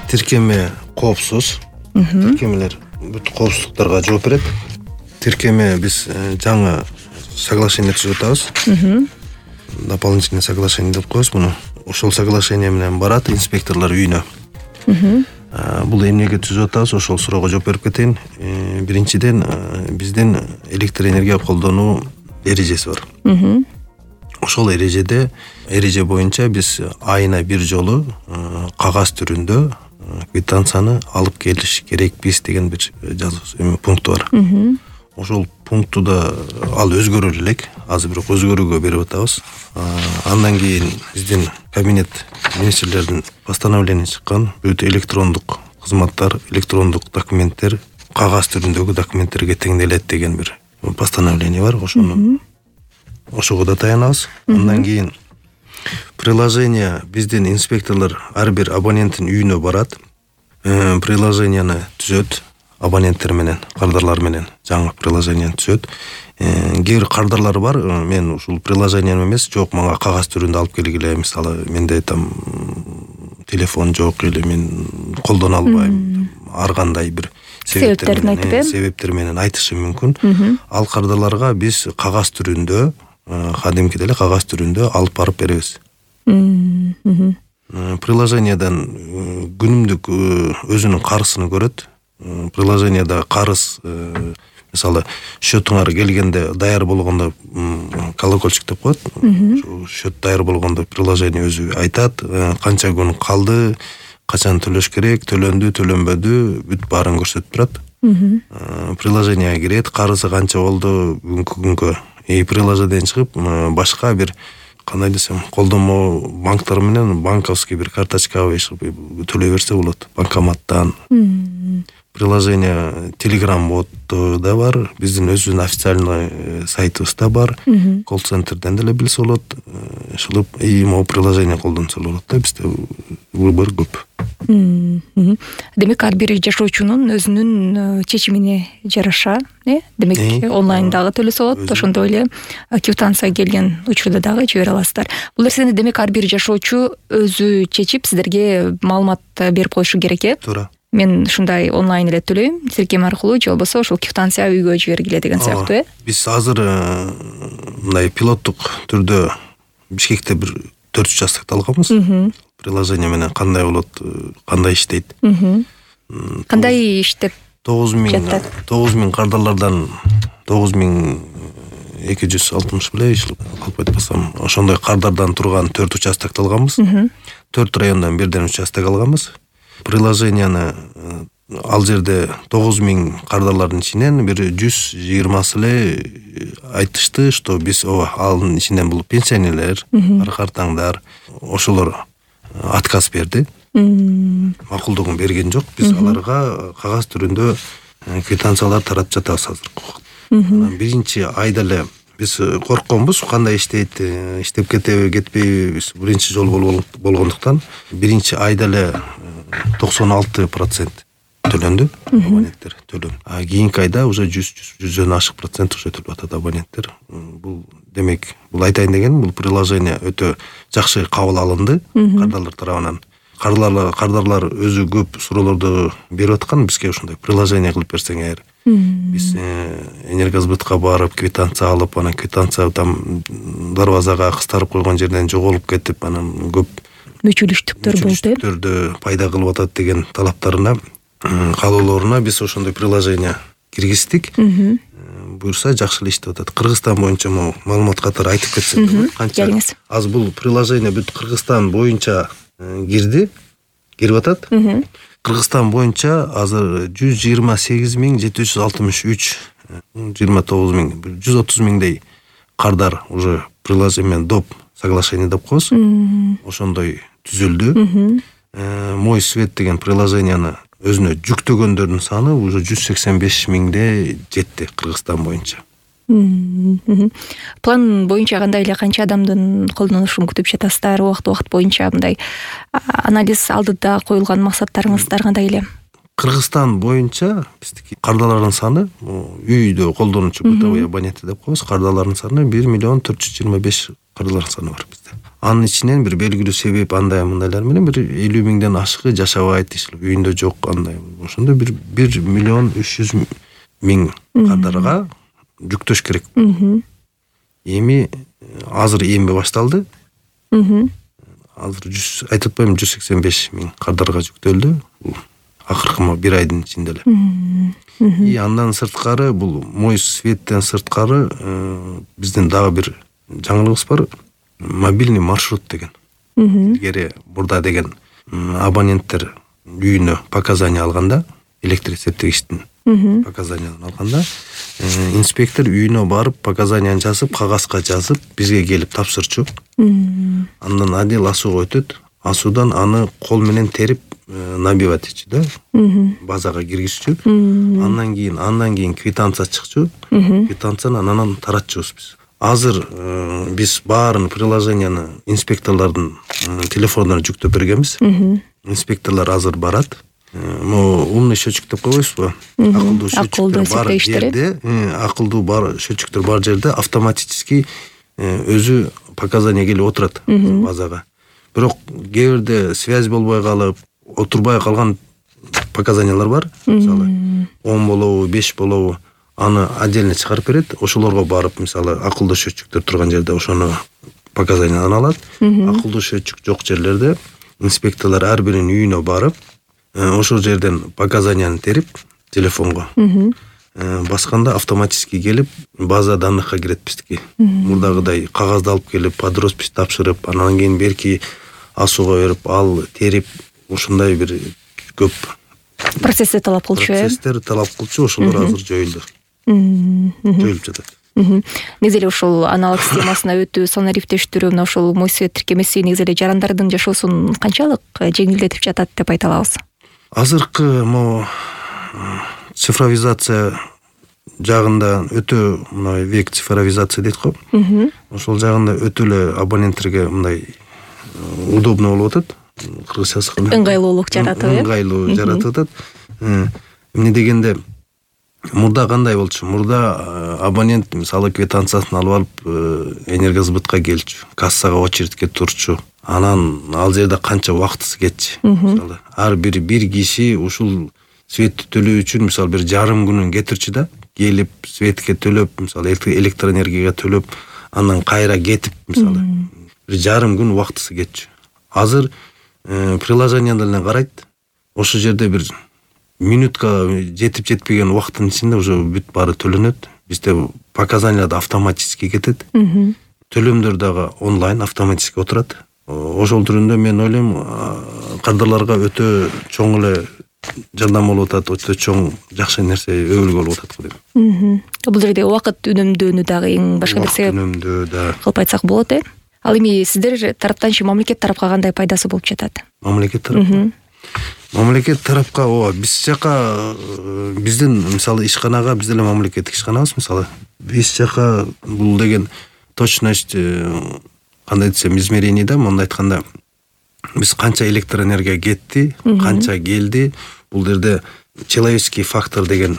тиркеме коопсуз. Тиркемелер бүт коопсуздуктарга жооп берет. Тиркеме биз жаңы соглашение түзүп атабыз. Дополнительное соглашение деп коебуз муну. Ошол соглашение менен барат инспекторлор үйүнө. Бул эмнеге түзүп атабыз, ошол суроого жооп берип кетейин. Биринчиден, биздин электроэнергия колдонуу эрежеси бар. Ошол эреже боюнча биз айына бир жолу кагаз түрүндө квитанцияны алып келиш керекпиз деген бир жазуу пункту бар. Ошол пунктуда ал өзгөрө элек, азыр бирок өзгөрүүгө берип атабыз. Андан кийин биздин кабинет министрлердин постановление чыккан, бүт электрондук кызматтар, электрондук документтер кагаз түрүндөгү документтерге теңделет деген бир постановление бар. Ошого да таянабыз. Андан кийин приложение биздин инспекторлор ар бир абоненттин үйүнө барат. Приложенияны түзөт. Абоненттер менен, кардарлар менен жаңы приложение түзөт. Кээ бир кардарлар бар, мен ушул приложение эмес, жок, мага кагаз түрүндө алып келгиле, мисалы, менде там телефон жок или мен колдоно албайм, ар кандай бир себептер менен айтышы мүмкүн. Ал кардарларга биз кагаз түрүндө, кадимкидей эле кагаз түрүндө алып барып беребиз. Приложениедан күнүмдүк өзүнүн карызын көрөт. Приложениеда карыз, мисалы, счетуңар келгенде даяр болгондо колокольчик деп коет. Счет даяр болгондо приложение өзү айтат, канча күн калды, качан төлөш керек, төлөндү, төлөнбөдү, бүт баарын көрсөтүп турат. Приложениеге кирет, карызы канча болду бүгүнкү күнгө. Приложениеден чыгып, башка бир кандай десем, колдонмо банктар менен банковский бир карточкага төлөй берсе болот, банкоматтан. Приложение Telegram бот да бар, биздин өзүнүн официальный сайтыбызда бар, колл-центрден деле билсе болот, ошол могу приложение колдонсо болот да, бизде выбор көп. Демек ар бир жашоочунун өзүнүн чечимине жараша, демек онлайндагы төлөсө болот, ошондой эле квитанция келген учурда дагы жибере аласыздар. Бул нерсени демек ар бир жашоочу өзү чечип сиздерге маалымат берип коюшу керек, Туура. Мен ушундай онлайн эле төлөйм, тиркеме аркылуу же болбосо ошол квитанция үйгө жибергиле деген сыяктуу, Биз азыр мындай пилоттук түрдө Бишкекте бир 4 участокто алганбыз. Приложение менен кандай болот, кандай иштейт. Кандай иштеп? 9000 кардарлардан 9260 беле иштеп калпайт болсом, ошондой кардардан турган 4 участокто алганбыз. 4 райондан бирден участок алганбыз. Приложенияны ал жерде 9000 кардарлардын ичинен бир 120сы эле айтышты, что биз алын ичинен бул пенсионерлер, картаңдар, ошолор отказ берди. Макулдугун берген жок. Биз аларга кагаз түрүндө квитанциялар таратып жатабыз азыр. Биринчи айда эле биз коркконбуз, кандай иштейт, иштеп кетеби, кетпейби, биз биринчи жолу болгондуктан биринчи айда эле 96% төлөндү, абоненттер төлөм. Кийинки айда уже 100-100дөн ашык процент уже төлөп атат абоненттер. Бул демек, бул айтайын деген, бул приложение өтө жакшы кабыл алынды кардарлар тарабынан. Кардарлар өзү көп суроолорду берип аткан, бизге ошондой приложение кылып берсең эгер, биз энергосбытка барып квитанция алып, анан квитанция там дарбазага кыстарып койгон жерден жоголуп кетип, анан көп мүчүлүштүктөрдө пайда кылып атат деген талаптарына, каалоолоруна биз ошондой приложение киргиздик. Буюрса жакшы эле иштеп атат. Кыргызстан боюнча маалымат катары айтып кетсем, канча аз бул приложение бүт Кыргызстан боюнча кирип атат. Кыргызстан боюнча азыр 128763, 130 миңдей кардар уже приложение доп соглашение деп коебуз. Ошондой түзүлдү. Мой свет деген приложенияны өзүнө жүктөгөндөрдүн саны уже 185 миңде жетти Кыргызстан боюнча. План боюнча кандай эле канча адамдын колдонушун күтүп жатасыздар? Убакыт боюнча мындай анализ алдыда коюлган максаттарыңыздар кандай эле? Кыргызстан боюнча биздики кардарлардын саны, үйдө колдонуучу бытовой абоненттер деп коебуз, кардарлардын саны 1 425 кырлар саны бар бизде. Анын ичинен бир белгилүү себеп андай мындайлар менен бир 50 миңден ашыгы жашабайт дейсиз, үйүндө жок андай. Ошондо 1 миллион 300 миң кардарга жүктөш керек. Эми азыр эмби башталды. Азыр айтып атпайм 185 миң кардарга жүктөлдү. Бул акыркы 1 айдын ичинде эле. И андан сырткары бул Мой Светтен сырткары биздин дагы бир жаңылыгыбыз бар. Мобильный маршрут деген. Илгери бурда деген абоненттер үйүнө показания алганда, электр эсептегичтин показаниясын алганда, инспектор үйүнө барып показанияны жазып, кагазга жазып, бизге келип тапшырчу. Андан адил асууга өтөт. Асуудан аны кол менен терип набивать этчү да. Базага киргизчү. Андан кийин квитанция чыкчу. Квитанцияны анан таратчубуз биз. Азыр биз баарын приложенияны инспекторлордун телефондоруна жүктөп бергенбиз. Инспекторлор азыр барат. Умный счетчик деп койбойсузбу? Акылдуу счетчиктер бар жерде, акылдуу бар счетчиктер бар жерде автоматически өзү показания келип отурат базага. Бирок кээ бирде связь болбой калып, отурбай калган показаниялар бар. Мисалы 10 болобу, 5 болобу, аны отдельно чыгарып берет. Ошолорго барып, мисалы, акылдуу счетчиктер турган жерде ошону показанияны алат. Акылдуу счетчик жок жерлерде инспекторлор ар биринин үйүнө барып, ошол жерден показанияны терип телефонго басканда автоматически келип база данныхка кирет биздики. Мурдагыдай кагазды алып келип под роспись тапшырып, анан кийин берки асууга берип, ал терип, ушундай бир көп процесстер талап кылчу. Процесстер талап кылчу, ошолор азыр жоюлду. Жоюлуп жатат. Негизи эле ушул аналог системасына өтүү, санарифтештирүү, мына ушул Мой Свет тиркемеси негизи эле жарандардын жашоосун канчалык жеңилдетип жатат деп айта алабыз? Азыркы цифровизация жагында өтө мына век цифровизация дейт го. Ошол жагында өтө эле абоненттерге мындай удобно болуп атат. Кыргызчасы кандай? Ыңгайлуулук жаратып, ыңгайлуу жаратып атат. Эмне дегенде мурда кандай болчу? Мурда абонент мисалы квитанциясын алып алып энергосбытка келчү, кассага очередке турчу. Анан ал жерде канча убактысы кетчү. Мисалы ар бир киши ушул светти төлөө үчүн мисалы бир жарым күнүн кетирчү да, келип светке төлөп, мисалы электроэнергияга төлөп, андан кайра кетип, мисалы бир жарым күн убактысы кетчү. Азыр приложенияда эле карайт. Ошол жерде бир минутка жетип жетпеген убакыттын ичинде уже бүт баары төлөнөт. Бизде показаниялар автоматически кетет. Төлөмдөр дагы онлайн автоматически отурат. Ошол түрүндө мен ойлойм, кардарларга өтө чоң эле жардам болуп атат, өтө чоң жакшы нерсе өбөлгө болуп атат го дейм. Бул жерде убакыт үнөмдөөнү дагы эң башка бир себеп. Үнөмдөө да. Кылып айтсак болот, Ал эми сиздер тараптанчы мамлекет тарапка кандай пайдасы болуп жатат? Мамлекет тарапка. Мамлекет тарапка биз жака биздин мисалы ишканага, биз деле мамлекеттик ишканабыз мисалы. Биз жака бул деген точность кандай десем измерение да, монда айтканда биз канча электроэнергия кетти, канча келди, бул жерде человеческий фактор деген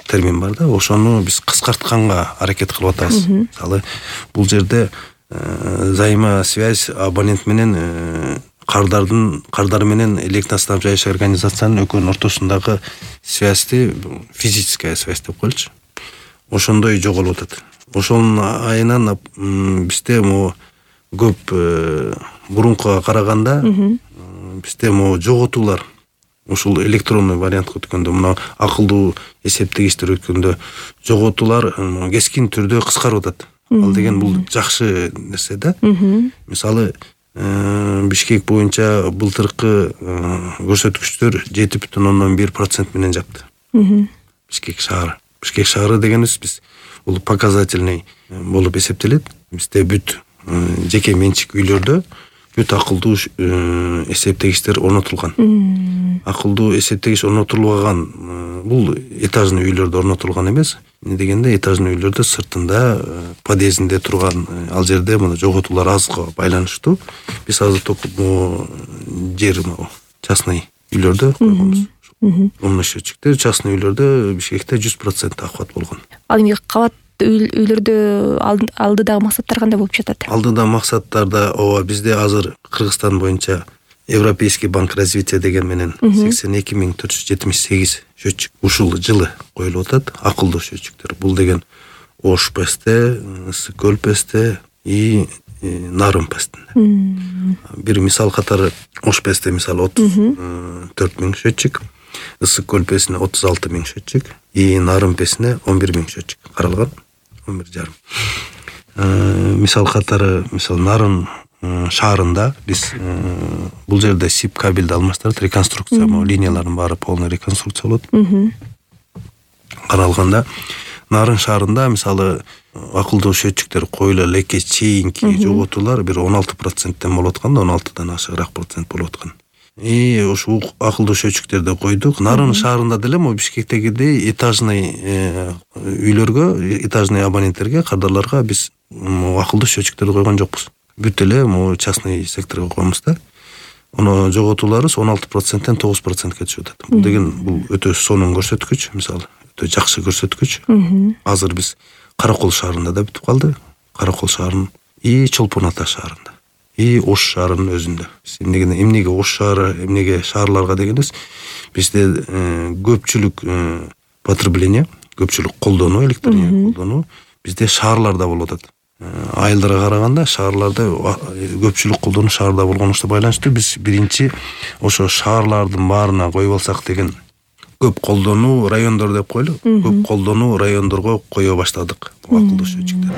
термин бар да, ошону биз кыскартканга аракет кылып атабыз. Мисалы бул жерде взаимосвязь абонент менен кардар менен электроснабжающий организациянын экөөнүн ортосундагы связьти физическая связь деп коелучу. Ошондой жоголуп атат. Ошонун айынан бизде көп бурункуга караганда бизде жоготуулар ушул электронный вариантка өткөндө, мына акылдуу эсептегичтер өткөндө жоготуулар кескин түрдө кыскарып атат. Ал деген бул жакшы нерсе да. Мисалы Бишкек боюнча былтыркы көрсөткүчтөр 7,1% менен жапты. Бишкек шаары. Бишкек шаары дегенибиз биз бул показательный болуп эсептелет. Бизде бүт жеке менчик үйлөрдө бүт акылдуу эсептегичтер орнотулган. Акылдуу эсептегич орнотулбаган бул этажный үйлөрдө орнотулган эмес. Эмне дегенде этажный үйлөрдө сыртында подъездинде турган ал жерде мына жоготуулар азга байланыштуу. Биз азыр жер частный үйлөрдө койгонбуз. Умный счетчиктер частный үйлөрдө Бишкекте 100% охват болгон. Ал эми кабат үйлөрдө алдыдагы максаттар кандай болуп жатат? Алдыдагы максаттарда ооба бизде азыр Кыргызстан боюнча Европейский банк развития деген менен 82.478 счетчик ушул жылы коюлуп атат. Акылдуу счетчиктер. Бул деген Ош ПСТ, Ысык көл ПСТ и Нарын ПСТ. Бир мисал катары Ош ПСТ мисалы 34.000 счетчик, Ысык көл ПСТне 36.000 счетчик и Нарын ПСТне 11.000 счетчик каралган. 11,5. Мисал катары Нарын шаарында биз бул жерде СИП кабелди алмаштырып реконструкция, линиялардын баары полный реконструкция болот. Каралганда Нарын шаарында мисалы акылдуу счетчиктер коюла элекке чейинки жоготуулар бир 16%тен болуп аткан да 16дан ашыгыраак процент болуп аткан. И ошол акылдуу счетчиктерди койдук. Нарын шаарында деле могу Бишкектегидей этажный үйлөргө, этажный абоненттерге, кардарларга биз акылдуу счетчиктерди койгон жокпуз. Бүт эле могу частный секторго коебуз да. Ону жоготууларыбыз 16%тен 9%ке түшүп атат. Бул деген бул өтө сонун көрсөткүч, мисалы, өтө жакшы көрсөткүч. Азыр биз Каракол шаарында да бүтүп калды. Каракол шаарынын и Чолпон Ата шаарында. И Ош шаарынын өзүндө. Эмнеге Ош шаары, эмнеге шаарларга дегенбиз, бизде көпчүлүк потребление, көпчүлүк колдонуу, электр энергия колдонуу бизде шаарларда болуп атат. Айылдарга караганда шаарларда көпчүлүк колдонуу шаарда болгонуна байланыштуу биз биринчи ошо шаарлардын баарына коюп алсак деген көп колдонуу райондор деп коелу. Көп колдонуу райондорго кое баштадык бул акылдуу счетчиктерди.